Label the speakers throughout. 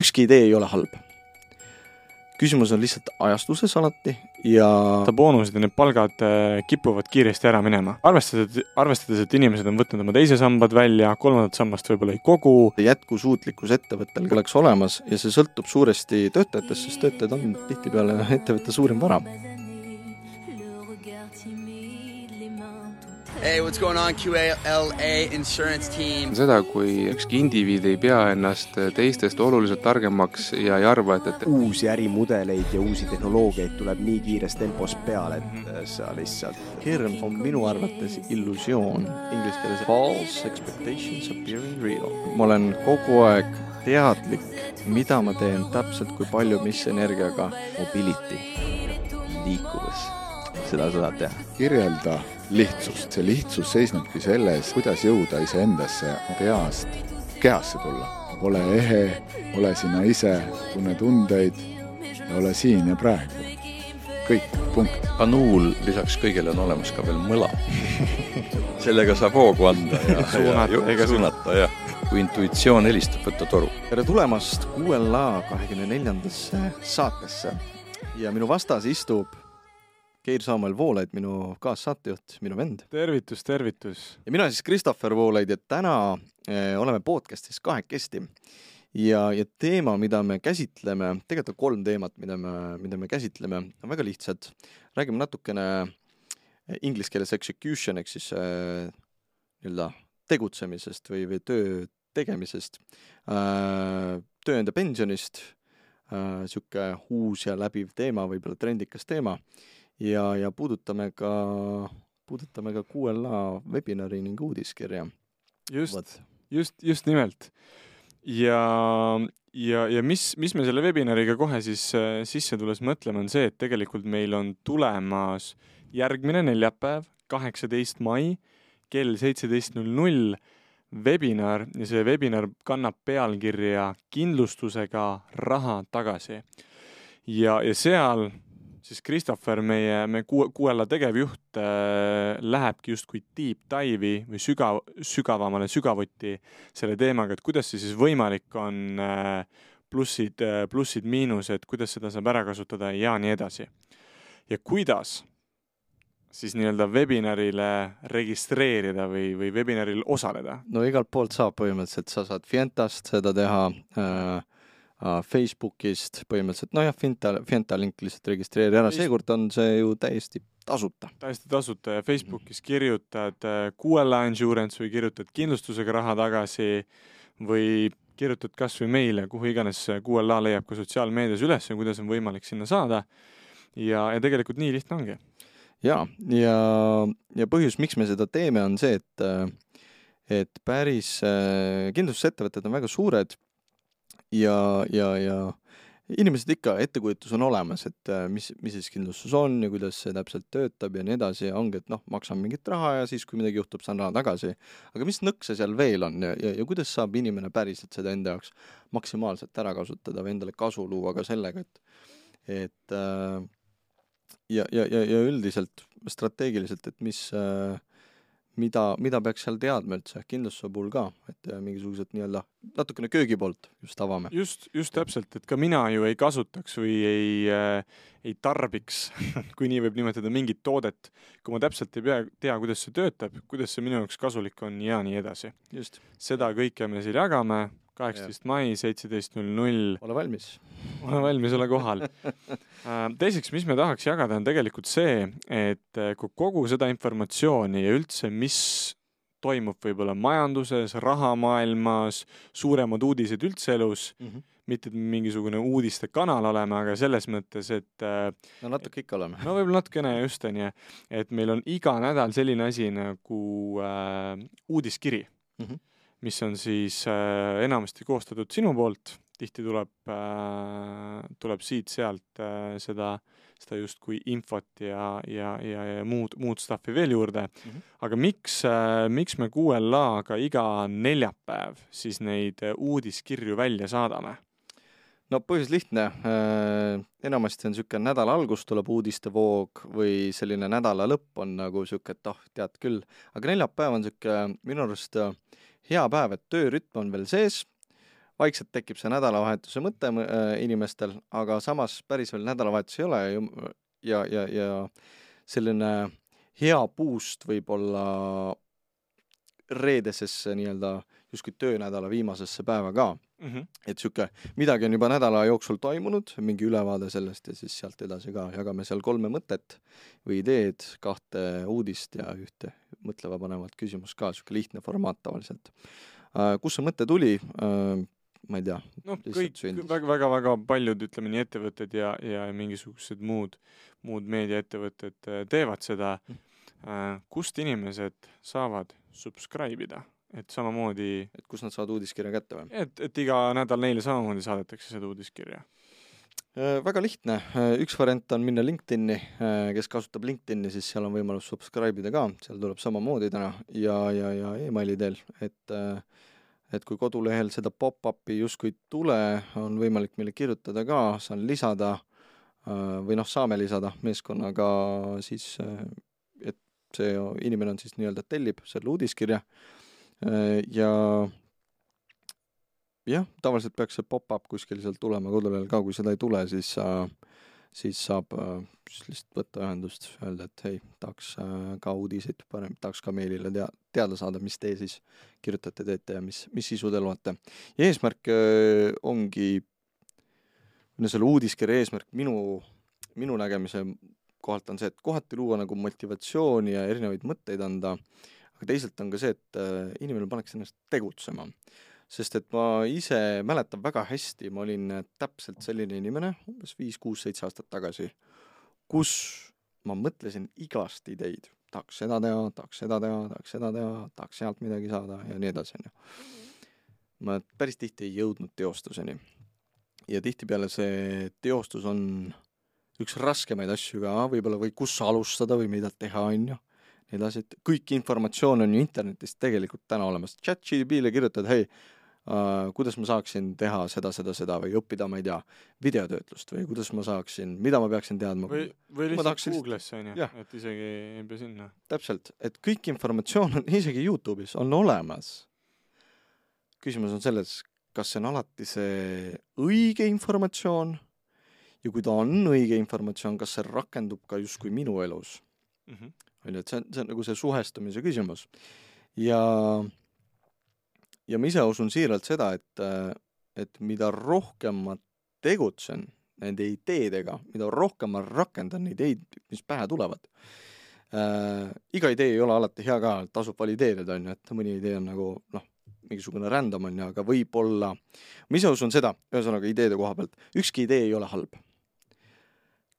Speaker 1: Ükski idee ei ole halb. Küsimus on lihtsalt ajastuses alati ja
Speaker 2: boonused ja need palgad kipuvad kiiresti ära minema. Arvestades, et inimesed on võtnud oma teise sambad välja, kolmandat sammast võib-olla ei kogu.
Speaker 1: jätkusuutlikkus ettevõttel oleks olemas ja see sõltub suuresti töötajatest, sest töötajad on tihtipeale ettevõtte suurim vara.
Speaker 3: Hey, what's going on, QALA Insurance Team?
Speaker 4: Seda, kui ükski indiviid ei pea ennast teistest oluliselt targemaks ja ei arva, et
Speaker 5: uusi ärimudeleid ja uusi tehnoloogiaid tuleb nii kiires tempos peale, et sa lihtsalt...
Speaker 1: Hirm on minu arvates illusioon. Inglise keeles false expectations appearing real. Ma olen kogu aeg teadlik, mida ma teen täpselt, kui palju, mis energiaga.
Speaker 5: Mobility, liikuvus, seda saad teha.
Speaker 6: Kirjelda lihtsust. See lihtsus seisnebki selles, kuidas jõuda iseendasse peast kehasse tulla. Ole ehe, ole sina ise, tunne tundeid ja ole siin ja praegu. Kõik, punkt.
Speaker 7: Anuul lisaks kõigele on olemas ka veel mõla. Sellega saab hoogu anda ja suunata. Ja. Kui intuitsioon helistab, võtta toru.
Speaker 1: Tere tulemast QLA 24. saatesse ja minu vastas istub Keir Samuel Voolaid, minu kaassaatejuht, minu vend.
Speaker 2: Tervitus.
Speaker 1: Ja mina siis Christopher Voolaid ja täna oleme podcastis kahekesti. Ja teema, mida me käsitleme, tegelikult on 3 teemat, mida me käsitleme, on väga lihtsad. Räägime natukene inglise keeles execution, ehk siis tegutsemisest või töö tegemisest, tööenda pensionist, siuke uus ja läbiv teema, võib-olla trendikas teema. Ja puudutame ka QLA webinari ning uudiskirja.
Speaker 2: Just nimelt. Ja mis me selle webinariga kohe siis sisse tulles mõtleme on see, et tegelikult meil on tulemas järgmine neljapäev, 18. mai, kell 17.00 webinar ja see webinar kannab pealkirja kindlustusega raha tagasi. Ja seal siis Christopher, meie QLA tegevjuht, lähebki just kui deep dive'i või sügavuti selle teemaga, et kuidas see siis võimalik on plussid, miinused, kuidas seda saab ära kasutada ja nii edasi. Ja kuidas siis nii-öelda webinarile registreerida või webinaril osaleda?
Speaker 1: No igalt poolt saab põhimõtteliselt, sa saad Fientast seda teha, Facebookist põhimõtteliselt, Fienta link lihtsalt registreeri ära, seekord on see ju täiesti tasuta.
Speaker 2: Täiesti tasuta ja Facebookis kirjutad QLA Insurance või kirjutad kindlustusega raha tagasi või kirjutad kas või meile, kuhu iganes QLA leiab ka sotsiaalmeedias üles ja kuidas on võimalik sinna saada ja tegelikult nii lihtne ongi.
Speaker 1: Ja põhjus, miks me seda teeme, on see, et päris kindlustusettevõtted on väga suured ja inimesed ikka ettekujutus on olemas, et mis siis kindlustus on ja kuidas see täpselt töötab ja nii edasi ja ongi, et maksan mingit raha ja siis, kui midagi juhtub, saan raha tagasi. Aga mis nõkse seal veel on ja kuidas saab inimene päriselt seda enda jaoks maksimaalselt ära kasutada või endale kasu luua ka sellega, et ja üldiselt strateegiliselt, et mida peaks seal teadma üldse kindlustuse puhul ka, et mingisugused nii-öelda natukene köögi poolt just avame.
Speaker 2: Just täpselt, et ka mina ju ei kasutaks või ei tarbiks, kui nii võib nimetada mingit toodet, kui ma täpselt ei tea, kuidas see töötab, kuidas see minu jaoks kasulik on ja nii edasi.
Speaker 1: Just.
Speaker 2: Seda kõike me siin jagame. 18. mai, 17.00.
Speaker 1: Ole valmis.
Speaker 2: Ole kohal. Teiseks, mis me tahaks jagada, on tegelikult see, et kui kogu seda informatsiooni ja üldse, mis toimub võib-olla majanduses, rahamaailmas, suuremad uudised üldse elus, mitte mingisugune uudiste kanal oleme, aga selles mõttes, et...
Speaker 1: No natuke ikka oleme.
Speaker 2: No võib-olla natukene just on, et meil on iga nädal selline asi nagu uudiskiri. Mis on siis enamasti koostatud sinu poolt, tihti tuleb siit-sealt seda just kui infot ja muud staffi veel juurde. Aga miks me QLA-ga iga neljapäev siis neid uudiskirju välja saadame?
Speaker 1: No põhjus lihtne. Enamasti on siuke nädala algus tuleb uudistevoog või selline nädala lõpp on nagu siuke, et tead küll. Aga neljapäev on siuke minu arust hea päev, et töörütm on veel sees, vaikselt tekib see nädalavahetuse mõte inimestel, aga samas päris veel nädalavahetus ei ole ja selline hea boost võib olla reedesesse nii-öelda justkui töönädala viimasesse päeva ka. Et siuke midagi on juba nädala jooksul toimunud, mingi ülevaade sellest ja siis sealt edasi ka jagame seal 3 mõtet või ideed, 2 uudist ja 1 mõtleva panevat küsimus ka, siuke lihtne formaat tavaliselt. Kus see mõte tuli? Ma ei tea.
Speaker 2: No, kõik väga paljud, ütleme nii, ettevõtted ja mingisugused muud meediaettevõtted teevad seda. Kust inimesed saavad subscribe ida? Et samamoodi...
Speaker 1: Et kus nad saavad uudiskirja kätte või?
Speaker 2: Et iga nädal neile samamoodi saadetakse seda uudiskirja.
Speaker 1: Väga lihtne. Üks variant on minna LinkedIni, kes kasutab LinkedIni, siis seal on võimalus subscribe ida ka. Seal tuleb samamoodi täna ja e-maili teel. Et kui kodulehel seda pop-upi justkui tule, on võimalik meile kirjutada ka, saan lisada või saame lisada meeskonnaga siis, et see inimene on siis nii-öelda tellib selle uudiskirja ja tavaliselt peaks see pop-up kuskil seal tulema kodulehel ka, kui seda ei tule, siis saab lihtsalt võtta ühendust, öelda, et hei, tahaks ka uudiseid parem, tahaks ka meilile teada saada, mis te siis kirjutate, teete ja mis sisu te loete. Ja eesmärk ongi, selle uudiskirja eesmärk minu nägemise kohalt on see, et kohati luua nagu motivatsiooni ja erinevaid mõtteid anda, aga teisalt on ka see, et inimene paneks ennast tegutsema. Sest et ma ise mäletan väga hästi, ma olin täpselt selline inimene, umbes 5, 6, 7 aastat tagasi, kus ma mõtlesin igast ideid. Tahaks seda teha, tahaks seda teha, tahaks seda teha, tahaks sealt midagi saada ja nii edasi. Ma päris tihti ei jõudnud teostuseni. Ja tihtipeale see teostus on üks raskemaid asju ka, võib-olla või kus alustada või mida teha on ju. Nii edasi, et kõik informatsioon on ju internetist tegelikult täna olemas. ChatGPT-le kirjutad, hei, kuidas ma saaksin teha seda või õppida, ma ei tea, videotöötlust või kuidas ma saaksin, mida ma peaksin teadma.
Speaker 2: Või lihtsalt Google'isse on ju, et isegi ei pea sinna.
Speaker 1: Täpselt, et kõik informatsioon on isegi YouTube'is on olemas. Küsimus on selles, kas see on alati see õige informatsioon ja kui ta on õige informatsioon, kas see rakendub ka justkui minu elus. Et see on nagu see suhestumise küsimus. Ja ma ise usun siiralt seda, et mida rohkem ma tegutsen nende ideedega, mida rohkem ma rakendan neid ideid, mis pähe tulevad. Iga idee ei ole alati hea ka, tasub valideerida, et mõni idee on nagu, mingisugune random on, aga võib-olla, ma ise usun seda, ühesõnaga ideede koha pealt, ükski idee ei ole halb.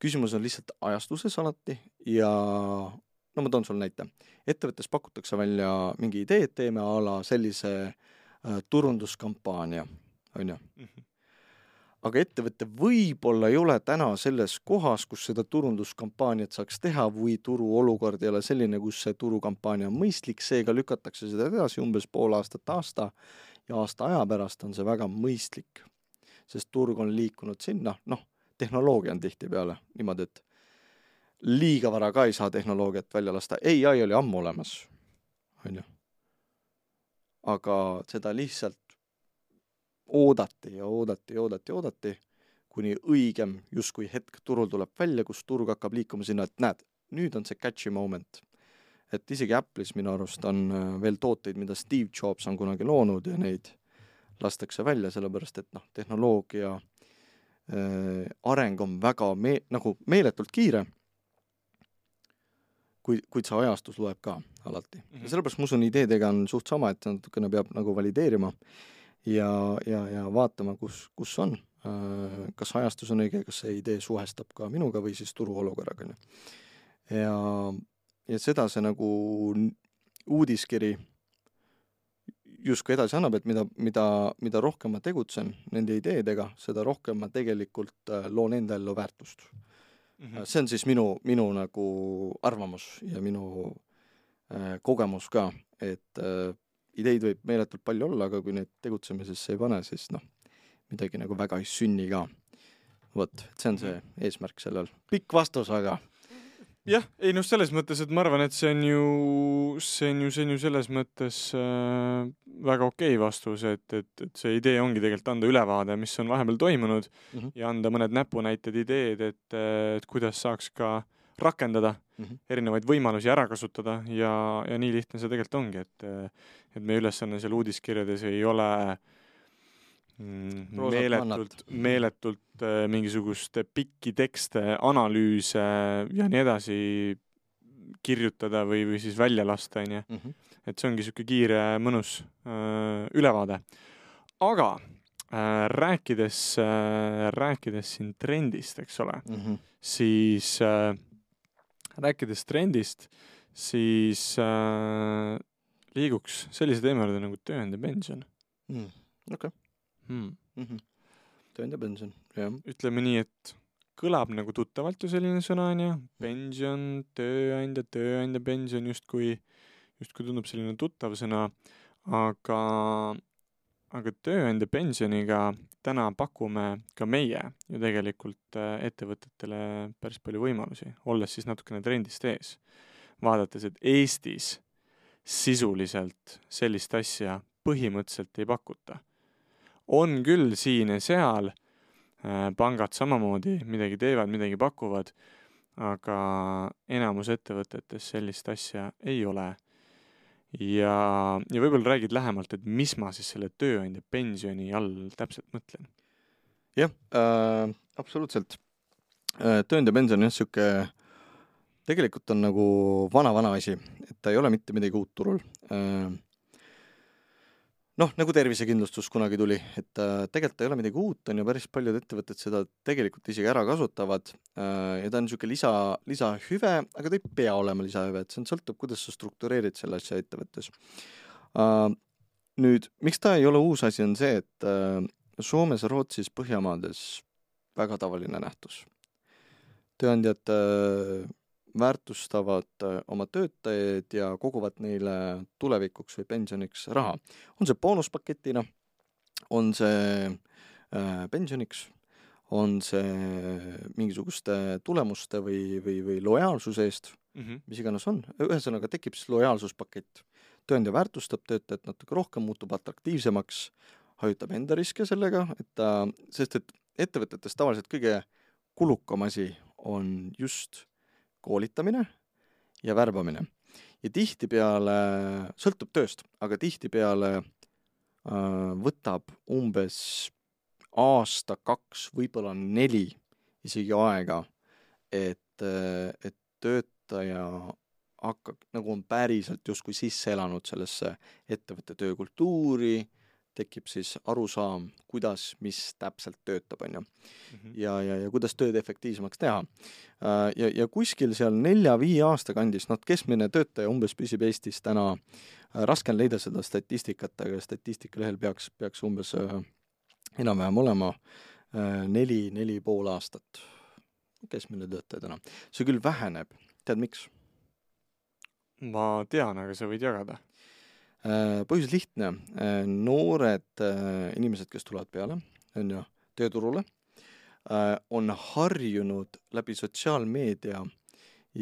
Speaker 1: Küsimus on lihtsalt ajastuses alati ja ma toon sul näite. Ettevõttes pakutakse välja mingi idee, et teeme ala sellise turunduskampaania, on ju. Aga ettevõtte võib-olla ei ole täna selles kohas, kus seda turunduskampaaniat saaks teha või turuolukord ei ole selline, kus see turukampaania on mõistlik, seega lükatakse seda edasi umbes pool aasta ja aasta aja pärast on see väga mõistlik, sest turg on liikunud sinna, tehnoloogia on tihtipeale niimoodi, et liiga vara ka ei saa tehnoloogiat välja lasta. AI oli ammu olemas, on ju. Aga seda lihtsalt oodati, kuni õigem justkui hetk turul tuleb välja, kus turg hakkab liikuma sinna, et näed, nüüd on see catchy moment. Et isegi Apple'is minu arust on veel tooteid, mida Steve Jobs on kunagi loonud ja neid lastakse välja, sellepärast et tehnoloogia areng on väga nagu meeletult kiire, kuid see ajastus loeb ka alati. Ja sellepärast ma usun ideedega on suht sama, et natukene peab nagu valideerima ja vaatama, kus on. Kas ajastus on õige, kas see idee suhestab ka minuga või siis turuolukorraga. Ja seda see nagu uudiskiri justkui edasi annab, et mida rohkem ma tegutsen nende ideedega, seda rohkem ma tegelikult loon enda ellu väärtust. See on siis minu nagu arvamus ja minu kogemus ka, et ideid võib meeletult palju olla, aga kui need tegutsemisesse ei pane, siis midagi nagu väga ei sünni ka. Vot, see on see eesmärk sellel. Pikk vastus, aga
Speaker 2: jah, ei noh, selles mõttes, et ma arvan, et see on ju selles mõttes väga okei vastus, et see idee ongi tegelikult anda ülevaade, mis on vahepeal toimunud ja anda mõned näpunäited, ideed, et kuidas saaks ka rakendada erinevaid võimalusi ära kasutada ja nii lihtne see tegelikult ongi, et meie ülesanne seal uudiskirjades ei ole meeletult mingisugust pikki tekste, analüüse ja nii edasi kirjutada või siis välja lasta, onju. Et see ongi siuke kiire, mõnus ülevaade. Aga rääkides siin trendist, eks ole, siis rääkides trendist, siis liiguks sellise teema juurde nagu tööandja pension.
Speaker 1: Okei. Tööandja pension, jah.
Speaker 2: Ütleme nii, et kõlab nagu tuttavalt ju selline sõna, on ju. Pension, tööandja pension justkui tundub selline tuttav sõna, aga tööandja pensioniga täna pakume ka meie ju tegelikult ettevõtetele päris palju võimalusi, olles siis natukene trendist ees. Vaadates, et Eestis sisuliselt sellist asja põhimõtteliselt ei pakuta. On küll siin ja seal, pangad samamoodi midagi teevad, midagi pakuvad, aga enamus ettevõtetes sellist asja ei ole. Ja võib-olla räägid lähemalt, et mis ma siis selle tööandja pensioni all täpselt mõtlen?
Speaker 1: Jah, absoluutselt. Tööandja pension on siuke, tegelikult on nagu vana asi, et ta ei ole mitte midagi uut turul. Noh, nagu tervisekindlustus kunagi tuli, et tegelikult ei ole midagi uut, on ju päris paljud ettevõtted seda tegelikult isegi ära kasutavad ja ta on siuke lisahüve, aga ta ei pea olema lisahüve, et see sõltub, kuidas sa struktureerid selle asja ettevõttes. Nüüd, miks ta ei ole uus asi, on see, et Soomes, Rootsis, Põhjamaades väga tavaline nähtus. Tööandjad väärtustavad oma töötajaid ja koguvad neile tulevikuks või pensioniks raha. On see boonuspaketina, on see pensioniks, on see mingisuguste tulemuste või lojaalsuse eest, mis iganes on. Ühesõnaga tekib siis lojaalsuspakett. Tööandja väärtustab töötajat natuke rohkem, muutub atraktiivsemaks, hajutab enda riske sellega, sest et ettevõtetes tavaliselt kõige kulukam asi on just koolitamine ja värbamine. Ja tihtipeale, sõltub tööst, aga tihtipeale võtab umbes aasta, 2, võib-olla 4 isegi aega, et töötaja hakkab, nagu on päriselt justkui sisse elanud sellesse ettevõtte töökultuuri, tekib siis arusaam, kuidas, mis täpselt töötab, on ju. Ja kuidas tööd efektiivsemaks teha. Ja kuskil seal 4-5 aasta kandis, keskmine töötaja umbes püsib Eestis täna, raske on leida seda statistikat, aga statistikalehel peaks umbes enam-vähem olema 4,5 aastat. Keskmine töötaja täna. See küll väheneb. Tead miks?
Speaker 2: Ma tean, aga sa võid jagada.
Speaker 1: Põhjus lihtne. Noored inimesed, kes tulevad peale, on ju, tööturule, on harjunud läbi sotsiaalmeedia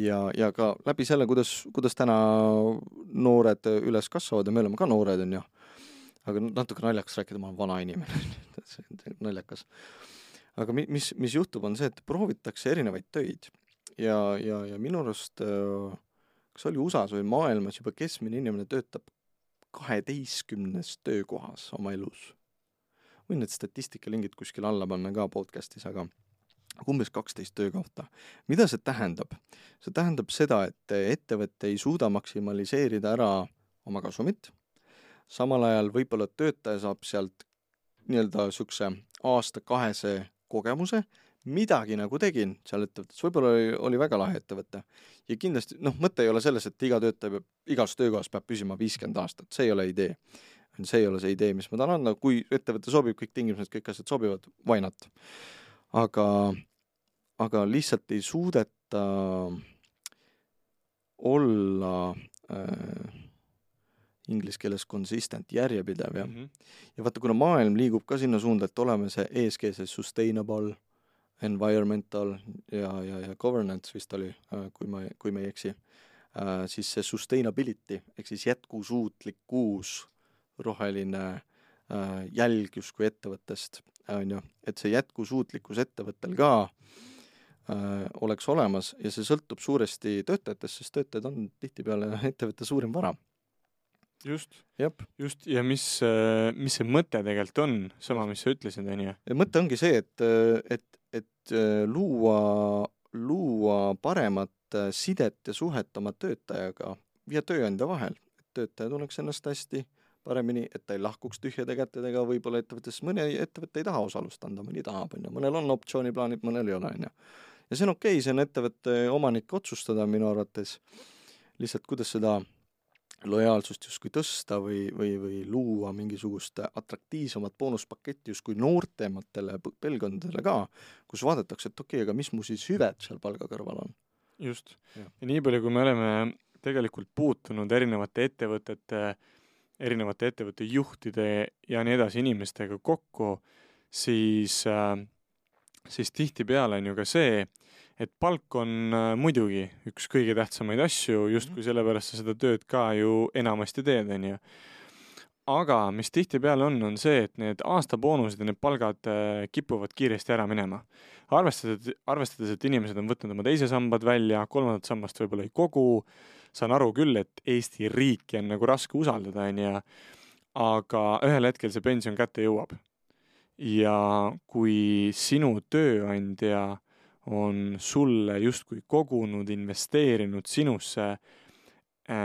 Speaker 1: ja ka läbi selle, kuidas täna noored üles kasvavad ja me oleme ka noored, on ju. Aga natuke naljakas rääkida, ma olen vana inimene. See on naljakas. Aga mis juhtub on see, et proovitakse erinevaid töid ja minu arust, kas oli USAs või maailmas juba keskmine inimene töötab 12 töökohas oma elus. Võin need statistikalingid kuskil alla panna ka podcastis, aga umbes 12 töökohta. Mida see tähendab? See tähendab seda, et ettevõte ei suuda maksimaliseerida ära oma kasumit. Samal ajal võib-olla töötaja saab sealt nii-öelda sukse aasta-2 kogemuse, midagi nagu tegin seal ettevõttes, võib-olla oli väga lahe ettevõte. Ja kindlasti, mõte ei ole selles, et iga töötaja igas töökohas peab püsima 50 aastat, see ei ole idee. See ei ole see idee, mis ma tahan anda, kui ettevõte sobib, kõik tingimused, kõik asjad sobivad, why not? Aga lihtsalt ei suudeta olla inglise keeles consistent, järjepidev. Ja vaata, kuna maailm liigub ka sinna suunda, et oleme see ESG, see sustainable, environmental ja governance vist oli, kui ma ei eksi, siis see sustainability ehk siis jätkusuutlikkus, roheline jälg justkui ettevõttest, on ju, et see jätkusuutlikkus ettevõttel ka oleks olemas ja see sõltub suuresti töötajatest, sest töötajad on tihtipeale ettevõtte suurim vara.
Speaker 2: Just,
Speaker 1: Jep.
Speaker 2: Ja mis see mõte tegelikult on, sama, mis sa ütlesid, on ju?
Speaker 1: Ja mõte ongi see, et luua paremat sidet ja suhet oma töötajaga ja tööandja vahel. Töötaja tunneks ennast hästi paremini, et ta ei lahkuks tühjade kätedega, võib-olla ettevõttes mõne ettevõtte ei taha osalust anda, mõni tahab, on ju. Mõnel on optsiooniplaanid, mõnel ei ole, on ju. Ja see on okei, see on ettevõtte omanik otsustada minu arvates lihtsalt, kuidas seda lojaalsust justkui tõsta või luua mingisugust atraktiivsemat boonuspaketti justkui noortematele pelgondadele ka, kus vaadatakse, et okei, aga mis mu siis hüved seal palga kõrval on.
Speaker 2: Just. Ja nii palju, kui me oleme tegelikult puutunud erinevate ettevõtte juhtide ja nii edasi inimestega kokku, siis tihtipeale on ju ka see, et palk on muidugi üks kõige tähtsamaid asju, justkui sellepärast sa seda tööd ka ju enamasti teed, on ju. Aga mis tihtipeale on see, et need aastaboonused ja need palgad kipuvad kiiresti ära minema. Arvestades, et inimesed on võtnud oma teise sambad välja, kolmandat sammast võib-olla ei kogu, saan aru küll, et Eesti riiki on nagu raske usaldada, on ju, aga ühel hetkel see pension kätte jõuab. Ja kui sinu tööandja on sulle justkui kogunud, investeerinud sinusse,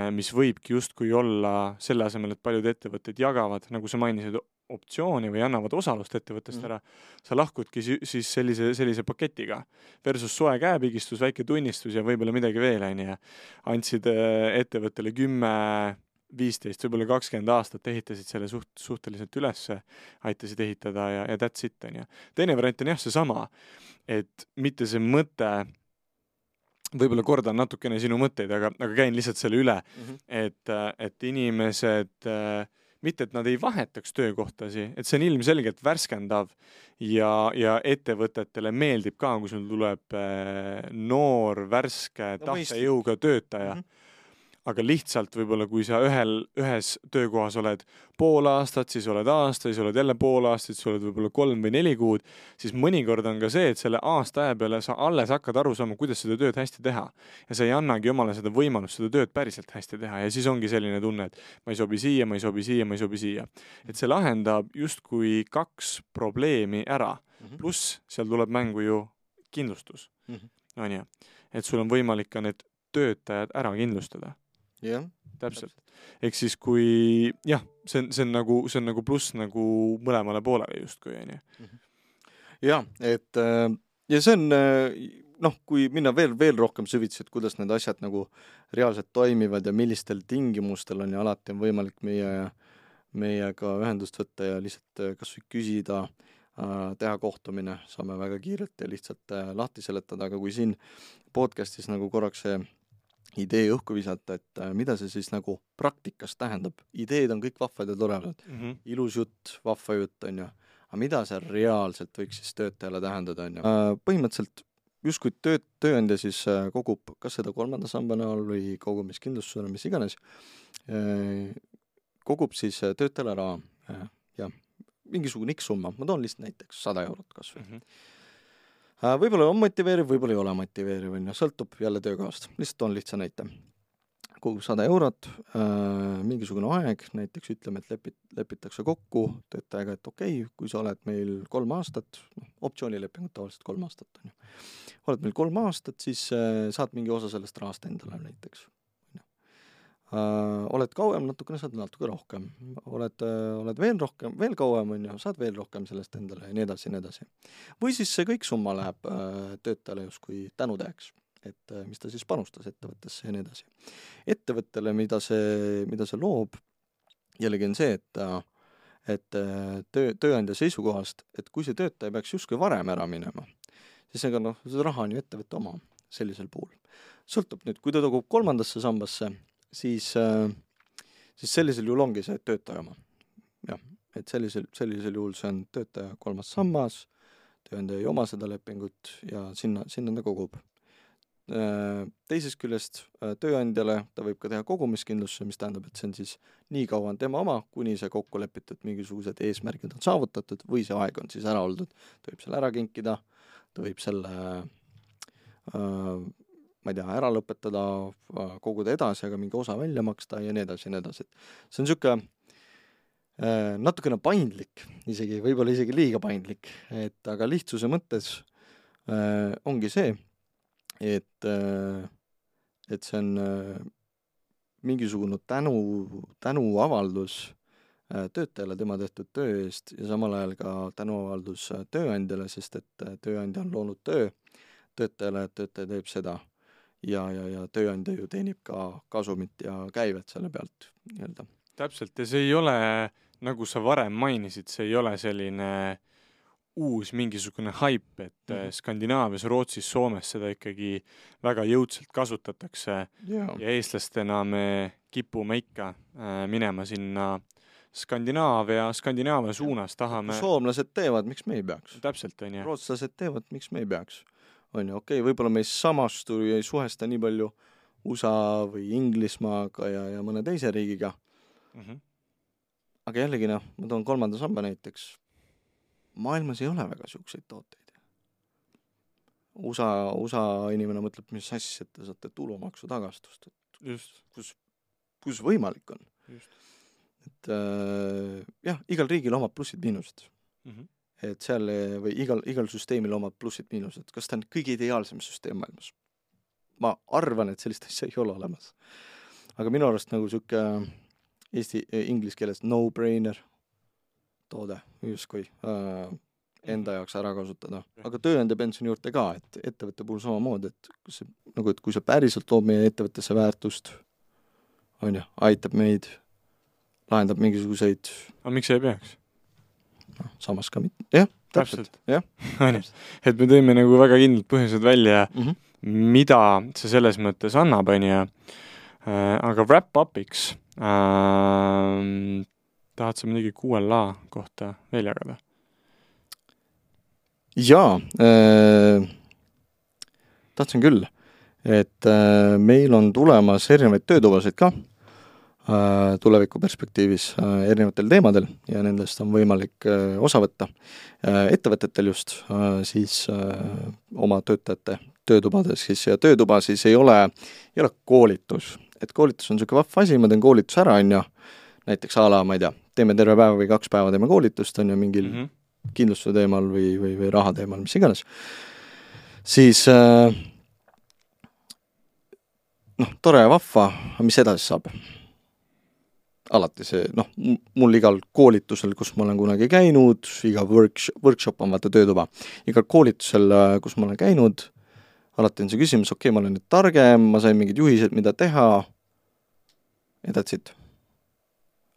Speaker 2: mis võibki justkui olla selle asemel, et paljud ettevõtted jagavad, nagu sa mainisid, optsiooni või annavad osalust ettevõttest ära, sa lahkudki siis sellise paketiga versus soe käepigistus, väike tunnistus ja võib-olla midagi veel, on ju. Andsid ettevõttele 10, 15, võib-olla 20 aastat ehitasid selle suhteliselt ülesse, aitasid ehitada ja that's it, on ju. Teine variant on jah seesama, et mitte see mõte, võib-olla kordan natukene sinu mõtteid, aga käin lihtsalt selle üle, et inimesed, mitte et nad ei vahetaks töökohtasi, et see on ilmselgelt värskendav ja ettevõtetele meeldib ka, kui sul tuleb noor, värske, tahtejõuga töötaja. Aga lihtsalt võib-olla, kui sa ühes töökohas oled pool aastat, siis oled aasta, siis oled jälle pool aastat, siis oled võib-olla 3 või 4 kuud, siis mõnikord on ka see, et selle aasta aja peale sa alles hakkad aru saama, kuidas seda tööd hästi teha. Ja sa ei annagi omale seda võimalust seda tööd päriselt hästi teha. Ja siis ongi selline tunne, et ma ei sobi siia, ma ei sobi siia, ma ei sobi siia. Et see lahendab justkui 2 probleemi ära. Pluss seal tuleb mängu ju kindlustus. On ju? Et sul on võimalik ka need töötajad ära kindlustada.
Speaker 1: Jah,
Speaker 2: täpselt. Ehk siis kui, jah, see on nagu pluss nagu mõlemale poolele justkui, on ju.
Speaker 1: Jah, et ja see on, kui minna veel rohkem süvitsi, et kuidas need asjad nagu reaalselt toimivad ja millistel tingimustel on ja alati on võimalik meiega ühendust võtta ja lihtsalt kas või küsida, teha kohtumine, saame väga kiirelt ja lihtsalt lahti seletada, aga kui siin podcastis nagu korraks see idee õhku visata, et mida see siis nagu praktikas tähendab. Ideed on kõik vahvad ja toredad. Ilus jutt, vahva jutt, on ju. Aga mida see reaalselt võiks siis töötajale tähendada, on ju? Põhimõtteliselt justkui tööandja siis kogub kas seda 3. samba näol või kogumiskindlustusena, mis iganes, kogub siis töötajale ära ja mingisugune X summa. Ma toon lihtsalt näiteks 100 eurot kas või. Võib-olla on motiveeriv, võib-olla ei ole motiveeriv, sõltub jälle töökohast. Lihtsalt on lihtsa näite. Kogub 100 eurot, mingisugune aeg, näiteks ütleme, et lepitakse kokku töötajaga, et okei, kui sa oled meil 3 aastat, optsioonilepingut tavaliselt 3 aastat on ju. Oled meil 3 aastat, siis saad mingi osa sellest rahast endale näiteks. Oled kauem, natukene saad natuke rohkem. Oled veel kauem, on ju, saad veel rohkem sellest endale ja nii edasi. Või siis see kõik summa läheb töötajale justkui tänutäheks, et mis ta siis panustas ettevõttesse ja nii edasi. Ettevõttele, mida see loob, jällegi on see, et tööandja seisukohast, et kui see töötaja peaks justkui varem ära minema, siis ega see raha on ju ettevõtte oma sellisel puhul. Sõltub nüüd, kui ta togub 3. sambasse, siis sellisel juhul ongi see töötaja oma. Jah, et sellisel juhul see on töötaja 3. sammas, tööandja ei oma seda lepingut ja sinna ta kogub. Teisest küljest tööandjale ta võib ka teha kogumiskindlustuse, mis tähendab, et see on siis nii kaua on tema oma, kuni see kokku lepitud mingisugused eesmärgid on saavutatud või see aeg on siis ära oldud. Ta võib selle ära kinkida, ta võib selle ma ei tea, ära lõpetada, koguda edasi, aga mingi osa välja maksta ja nii edasi ja nii edasi. See on siuke natukene paindlik, võib-olla isegi liiga paindlik, aga lihtsuse mõttes ongi see, et see on mingisugune tänuavaldus töötajale tema tehtud töö eest ja samal ajal ka tänuavaldus tööandjale, sest et tööandja on loonud töö töötajale, et töötaja teeb seda ja tööandja ju teenib ka kasumit ja käivet selle pealt nii-öelda.
Speaker 2: Täpselt, ja see ei ole, nagu sa varem mainisid, see ei ole selline uus mingisugune hype, et Skandinaavias, Rootsis, Soomes seda ikkagi väga jõudselt kasutatakse ja eestlastena me kipume ikka minema sinna Skandinaavia suunas tahame.
Speaker 1: Soomlased teevad, miks me ei peaks?
Speaker 2: Täpselt, on ju.
Speaker 1: Rootslased teevad, miks me ei peaks? On ju, okei, võib-olla me ei samastu ja ei suhesta nii palju USA või Inglismaaga ja mõne teise riigiga. Aga jällegi ma toon 3. samba näiteks. Maailmas ei ole väga siukseid tooteid. USA inimene mõtleb, mis asja, et te saate tulumaksu tagastust.
Speaker 2: Just.
Speaker 1: Kus võimalik on.
Speaker 2: Just.
Speaker 1: Et jah, igal riigil omab plussid-miinused. Et seal või igal süsteemil omab plussid-miinused. Kas ta on kõige ideaalsem süsteem maailmas? Ma arvan, et sellist asja ei ole olemas. Aga minu arust nagu siuke inglise keeles no-brainer toode, justkui enda jaoks ära kasutada. Aga tööandja pensioni juurde ka, et ettevõtte puhul samamoodi, et kui see päriselt loob meie ettevõttesse väärtust, on ju, aitab meid, lahendab mingisuguseid...
Speaker 2: Aga miks ei peaks?
Speaker 1: Samas ka mitte. Jah, täpselt.
Speaker 2: Et me tõime nagu väga kindlalt põhjused välja, mida see selles mõttes annab, on ju. Aga wrap-upiks tahad sa midagi QLA kohta veel jagada?
Speaker 1: Jaa, tahtsin küll, et meil on tulemas erinevaid töötubasid ka tuleviku perspektiivis erinevatel teemadel ja nendest on võimalik osa võtta ettevõtetel just siis oma töötajate töötubades siis ja töötuba siis ei ole koolitus, et koolitus on selline vahva asi, ma teen koolitus ära, on ju, näiteks ala, ma ei tea, teeme terve päeva või 2 päeva teeme koolitust, on ju, mingil kindlustuse teemal või raha teemal, mis iganes, siis tore ja vahva, mis edasi saab? Alati see, mul igal koolitusel, kus ma olen kunagi käinud, iga workshop on vaata töötuba, igal koolitusel, kus ma olen käinud, alati on see küsimus, okei, ma olen nüüd targem, ma sain mingid juhised, mida teha, ja that's it.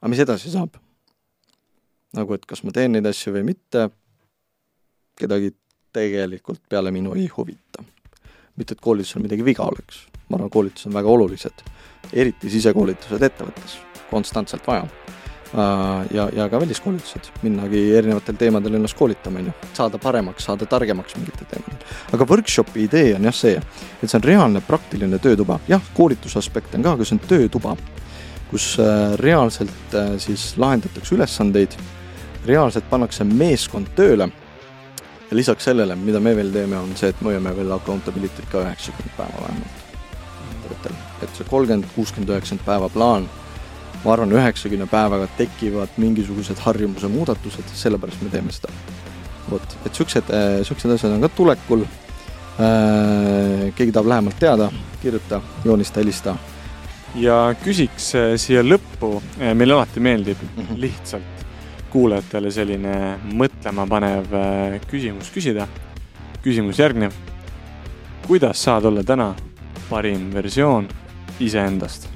Speaker 1: Aga mis edasi saab? Nagu, et kas ma teen neid asju või mitte, kedagi tegelikult peale minu ei huvita. Mitte, et koolitusel midagi viga oleks. Ma arvan, koolitus on väga olulised, eriti sisekoolitused ettevõttes. Konstantselt vaja. Ja ka väliskoolitused, minnagi erinevatel teemadel ennast koolitama, saada paremaks, saada targemaks mingitel teemadel. Aga workshopi idee on jah see, et see on reaalne praktiline töötuba. Jah, koolitusaspekt on ka, aga see on töötuba, kus reaalselt siis lahendatakse ülesandeid, reaalselt pannakse meeskond tööle ja lisaks sellele, mida me veel teeme, on see, et me hoiame veel accountability't ka 90 päeva vähemalt. Et see 30, 60, 90 päeva plaan, ma arvan, 90 päevaga tekivad mingisugused harjumuse muudatused, sellepärast me teeme seda. Et siuksed asjad on ka tulekul. Keegi tahab lähemalt teada, kirjuta, joonista, helista.
Speaker 2: Ja küsiks siia lõppu, meil alati meeldib lihtsalt kuulajatele selline mõtlema panev küsimus küsida. Küsimus järgnev. Kuidas saad olla täna parim versioon iseendast?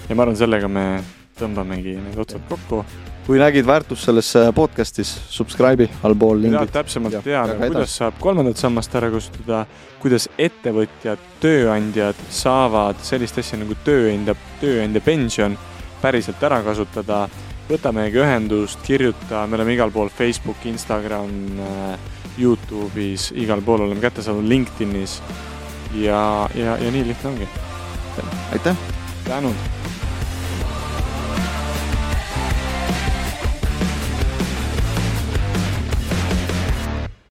Speaker 2: Ja ma arvan, sellega me tõmbamegi need otsad kokku.
Speaker 1: Kui nägid väärtust selles podcastis, subscribe'i, allpool lingid.
Speaker 2: Täpsemalt teada, kuidas saab 3. sammast ära kasutada, kuidas ettevõtjad, tööandjad saavad sellist asja nagu tööandja pension päriselt ära kasutada võta meiega ühendust, kirjuta, me oleme igal pool Facebook, Instagram, YouTube'is, igal pool oleme kättesaadavad LinkedInis ja nii lihtne ongi.
Speaker 1: Aitäh!
Speaker 2: Tänud!